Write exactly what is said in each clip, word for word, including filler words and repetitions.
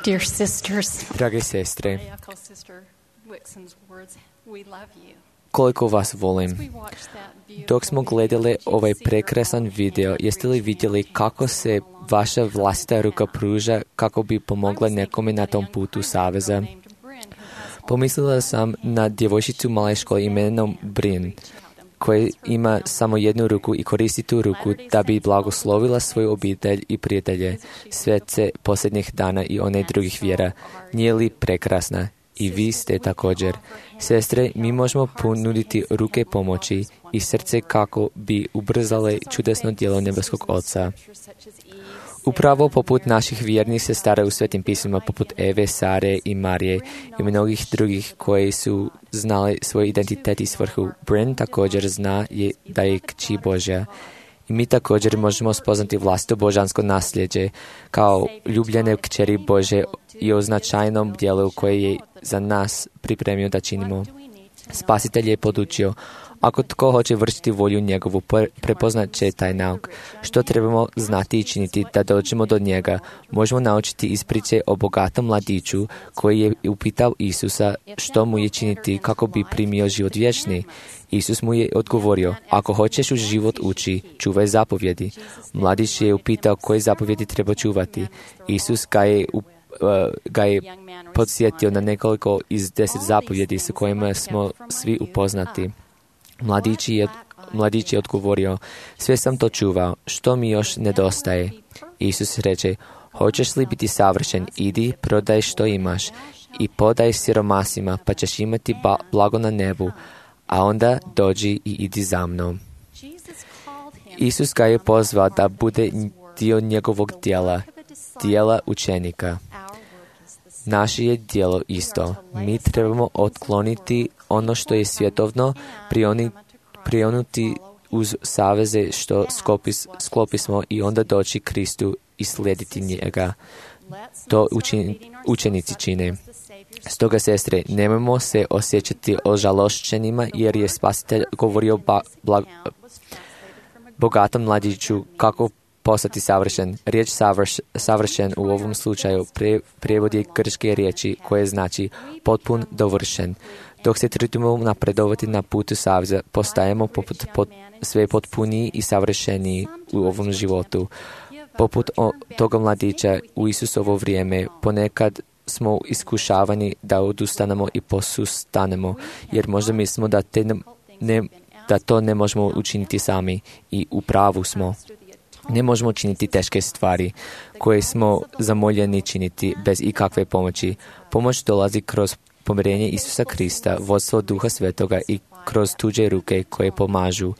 Dear sisters, Drage sestre, I echo Sister Wixon's words. We love you. koliko vas volim. We watched that beautiful Dok smo gledali ovaj prekrasan video, jeste li vidjeli kako se vaša vlastita ruka pruža kako bi pomogla nekome na tom putu saveza? Pomislila sam na djevojčicu u maloj školi imenom Brin, koja ima samo jednu ruku i koristi tu ruku da bi blagoslovila svoju obitelj i prijatelje, svece posljednjih dana i one drugih vjera. Nije li prekrasna? I vi ste također. Sestre, mi možemo ponuditi ruke pomoći i srce kako bi ubrzale čudesno djelo nebeskog Oca. Upravo poput naših vjernih sestara u svetim pismima, poput Eve, Sare i Marije i mnogih drugih koji su znali svoj identitet i svrhu. Brin također zna je da je kći Božja. I mi također možemo spoznati vlastito božansko nasljeđe kao ljubljene kćeri Bože i o značajnom djelu koje je za nas pripremio da činimo. Spasitelj je podučio, ako tko hoće vršiti volju njegovu, prepoznat će taj nauk. Što trebamo znati i činiti da dođemo do njega? Možemo naučiti iz priče o bogatom mladiću koji je upitao Isusa što mu je činiti kako bi primio život vječni. Isus mu je odgovorio, ako hoćeš u život ući, čuvaj zapovjedi. Mladić je upitao koje zapovjedi treba čuvati. Isus ga je u Uh, ga je podsjetio na nekoliko iz deset zapovjedi s kojima smo svi upoznati. Mladić je, mladić je odgovorio, sve sam to čuvao, što mi još nedostaje? Isus reče, hoćeš li biti savršen, idi, prodaj što imaš i podaj siromasima, pa ćeš imati ba- blago na nebu, a onda dođi i idi za mnom. Isus ga je pozvao da bude dio njegovog djela, djela učenika. Naše je djelo isto. Mi trebamo otkloniti ono što je svjetovno, prioni, prionuti uz saveze što skopis, sklopismo i onda doći Kristu i slijediti njega. To učin, učenici čine. Stoga, sestre, nemojmo se osjećati ožalošćenima jer je Spasitelj govorio ba, bla, bogatom mladiću kako postati savršen. Riječ savrš, savršen u ovom slučaju pre, prijevod je grčke riječi koje znači potpun, dovršen. Dok se trudimo napredovati na putu saveza, postajemo poput, pot, sve potpuniji i savršeniji u ovom životu. Poput o, toga mladića u Isusovo vrijeme ponekad smo iskušavani da odustanemo i posustanemo, jer možda mislimo da, te ne, ne, da to ne možemo učiniti sami i u pravu smo. Ne možemo činiti teške stvari koje smo zamoljeni činiti bez ikakve pomoći. Pomoć dolazi kroz pomirenje Isusa Krista, vodstvo Duha Svetoga i kroz tuđe ruke koje pomažu.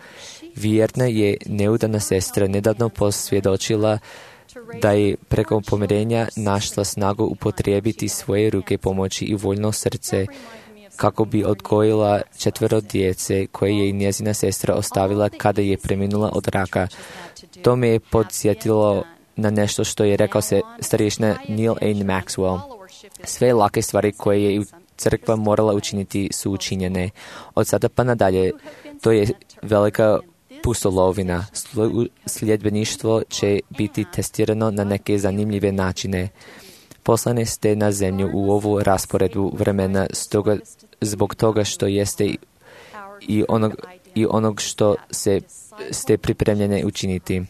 Vjerna je neudana sestra nedavno posvjedočila da je preko pomirenja našla snagu upotrijebiti svoje ruke pomoći i voljno srce kako bi odgojila četvero djece koje je i njezina sestra ostavila kada je preminula od raka. To me je podsjetilo na nešto što je rekao se starješina Neil A. Maxwell. Sve lake stvari koje je crkva morala učiniti su učinjene. Od sada pa nadalje, to je velika pustolovina. Sljedbeništvo će biti testirano na neke zanimljive načine. Poslane ste na zemlju u ovu rasporedu vremena stoga, zbog toga što jeste i onog, i onog što se ste pripremljene učiniti.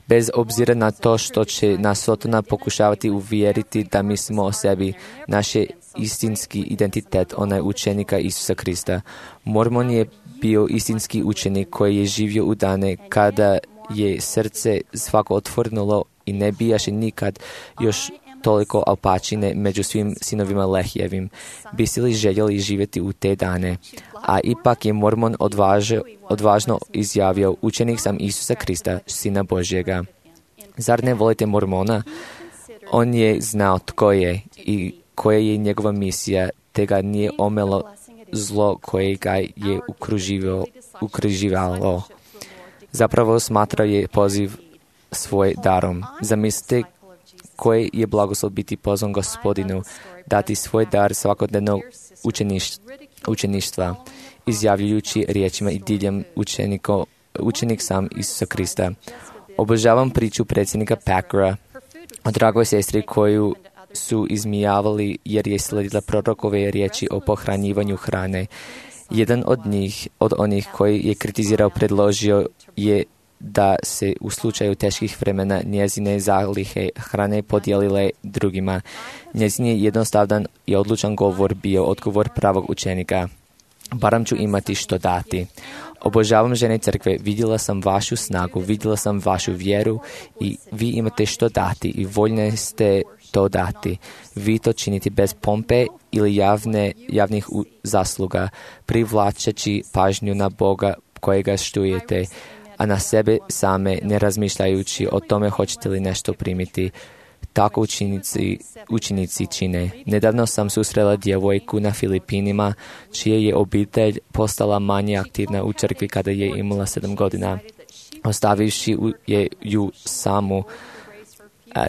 Bez obzira na to što će nas Sotona pokušavati uvjeriti da mislimo o sebi, naš istinski identitet, onaj učenika Isusa Krista. Mormon je bio istinski učenik koji je živio u dane kada je srce svako otvornulo i ne bijaše nikad još toliko alpačine među svim sinovima Lehijevim. Biste li željeli živjeti u te dane? A ipak je Mormon odvaž, odvažno izjavio, učenik sam Isusa Krista, Sina Božjega. Zar ne volite Mormona? On je znao tko je i koja je njegova misija, te ga nije omelo zlo koje ga je ukruživalo. Zapravo smatrao je poziv svoj darom. Zamislite koje je blagoslov biti pozvan Gospodinu, dati svoj dar svakodnevnog učeništva, izjavljujući riječima i diljem učeniko, učenik sam Isusa Krista. Obožavam priču predsjednika Packera o dragoj sestri koju su izmijavali jer je sledila prorokove riječi o pohranjivanju hrane. Jedan od njih, od onih koji je kritizirao, predložio je da se u slučaju teških vremena njezine zalihe hrane podijelile drugima. Njezin je jednostavan i odlučan govor bio odgovor pravog učenika. Barem ću imati što dati. Obožavam žene crkve, vidjela sam vašu snagu, vidjela sam vašu vjeru i vi imate što dati i voljni ste to dati. Vi to činite bez pompe ili javne, javnih zasluga, privlačeći pažnju na Boga kojega štujete, a na sebe same ne razmišljajući o tome hoćete li nešto primiti. Tako učenici, učenici čine. Nedavno sam susrela djevojku na Filipinima, čija je obitelj postala manje aktivna u crkvi kada je imala sedam godina. Ostavivši je ju samu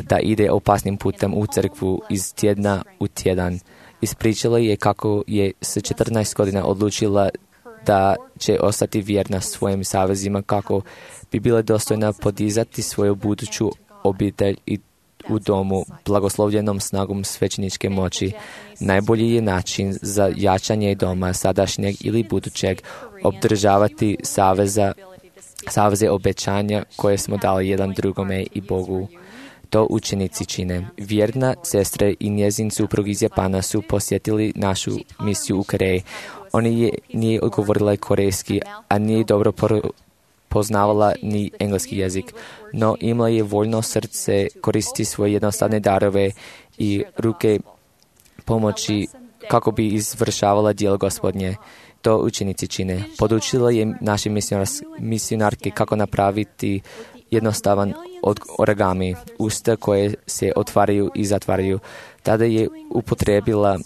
da ide opasnim putem u crkvu iz tjedna u tjedan. Ispričala je kako je s četrnaest godina odlučila da će ostati vjerna svojim savezima, kako bi bila dostojna podizati svoju buduću obitelj i u domu blagoslovljenom snagom svećeničke moći. Najbolji je način za jačanje doma sadašnjeg ili budućeg obdržavati saveza, saveze obećanja koje smo dali jedan drugome i Bogu. To učenici čine. Vjerna sestra i njezin suprug iz Japana su posjetili našu misiju u Koreji. Oni je nije odgovorila korejski, a nije dobro por- poznavala ni engleski jezik, no imala je voljno srce koristiti svoje jednostavne darove i ruke pomoći kako bi izvršavala djelo Gospodnje. To učenici čine. Podučila je naše misionarke kako napraviti jednostavan od origami, usta koje se otvaraju i zatvaraju. Tada je upotrijebila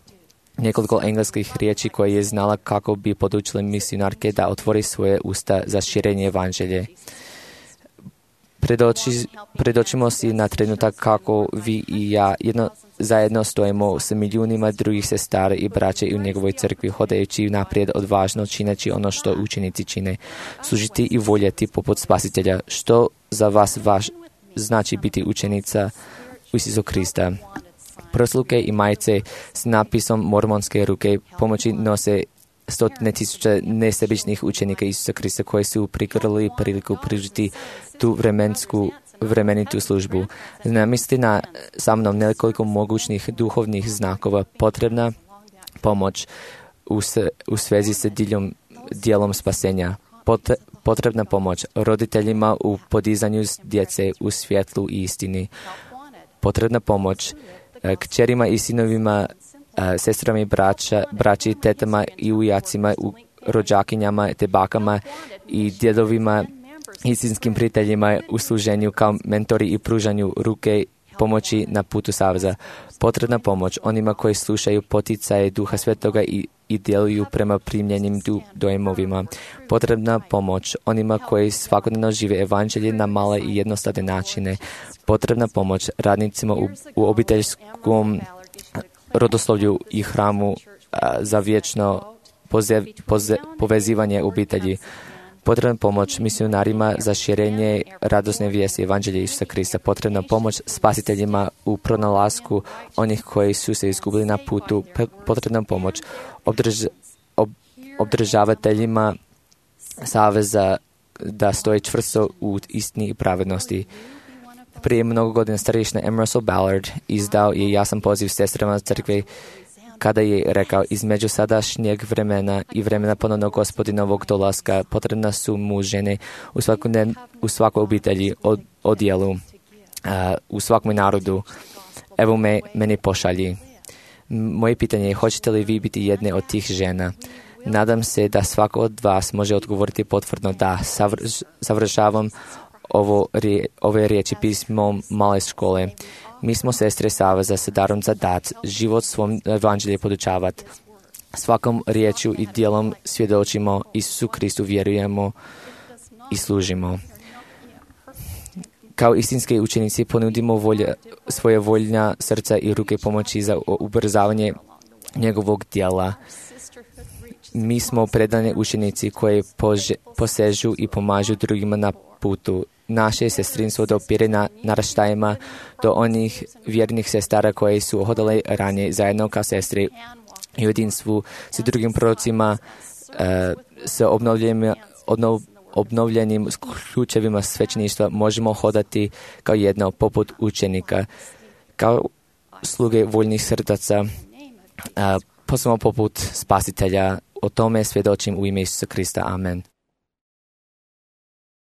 nekoliko engleskih riječi koje je znala kako bi podučila misionarke da otvori svoje usta za širenje evanđelje. Predoči, predočimo si na trenutak kako vi i ja jedno, zajedno stojimo s milijunima drugih sestara i braća u njegovoj crkvi, hodajući naprijed odvažno, čineći ono što učenici čine, služiti i voljeti poput Spasitelja. Što za vas vaš znači biti učenica Isusa Krista? Prsluke i majice s napisom mormonske ruke pomoći nose stotine tisuća nesebičnih učenika Isusa Krista koji su prikrili priliku pružiti tu vremensku vremenitu službu. Zamisli na sa mnom nekoliko mogućnih duhovnih znakova, potrebna pomoć u, s, u svezi sa diljom, dijelom spasenja, Pot, potrebna pomoć roditeljima u podizanju djece u svjetlu i istini, potrebna pomoć kćerima i sinovima, sestrama i braća, braći, tetama i ujacima, u rođakinjama, te bakama i djedovima, istinskim prijateljima u služenju kao mentori i pružanju ruke pomoći na putu saveza. Potrebna pomoć onima koji slušaju poticaje Duha Svetoga i, i djeluju prema primljenim du, dojmovima. Potrebna pomoć onima koji svakodnevno žive evanđelje na male i jednostavne načine. Potrebna pomoć radnicima u, u obiteljskom rodoslovlju i hramu a, za vječno poze, poze, povezivanje obitelji. Potrebna pomoć misionarima za širenje radosne vijesti evanđelja Isusa Krista. Potrebna pomoć spasiteljima u pronalasku onih koji su se izgubili na putu. Potrebna pomoć obdrž, ob, obdržavateljima saveza da stoje čvrsto u istini i pravednosti. Prije mnogo godina starješna M. Russell Ballard izdao je jasan poziv sestrama crkve kada je rekao: između sadašnjeg vremena i vremena ponovnog Gospodinovog dolaska potrebna su mu žene u, u svakoj obitelji, od, odjelu, uh, u svakom narodu. Evo me, meni pošalji. Moje pitanje je: hoćete li vi biti jedne od tih žena? Nadam se da svako od vas može odgovoriti potvrdno da. Savrš, završavam ovo, ove riječi pismom male škole. Mi smo sestre saveza sa darom za dat, život svom evanđelje podučavat. Svakom riječju i dijelom svjedočimo Isusu Kristu, vjerujemo i služimo. Kao istinski učenici ponudimo volja, svoje voljna srca i ruke pomoći za ubrzavanje njegovog djela. mi smo predani učenici koji pože, posežu i pomažu drugima na putu. Naše sestrinstvo dopire na naraštajima do onih vjernih sestara koji su hodali ranije zajedno kao sestri i u jedinstvu s drugim prorocima e, s obnovljenim, obnov, obnovljenim ključevima svećeništva možemo hodati kao jedno poput učenika, kao sluge voljnih srdaca, posebno poput spasitelja. O tome svjedočim u ime Isusa Krista. Amen.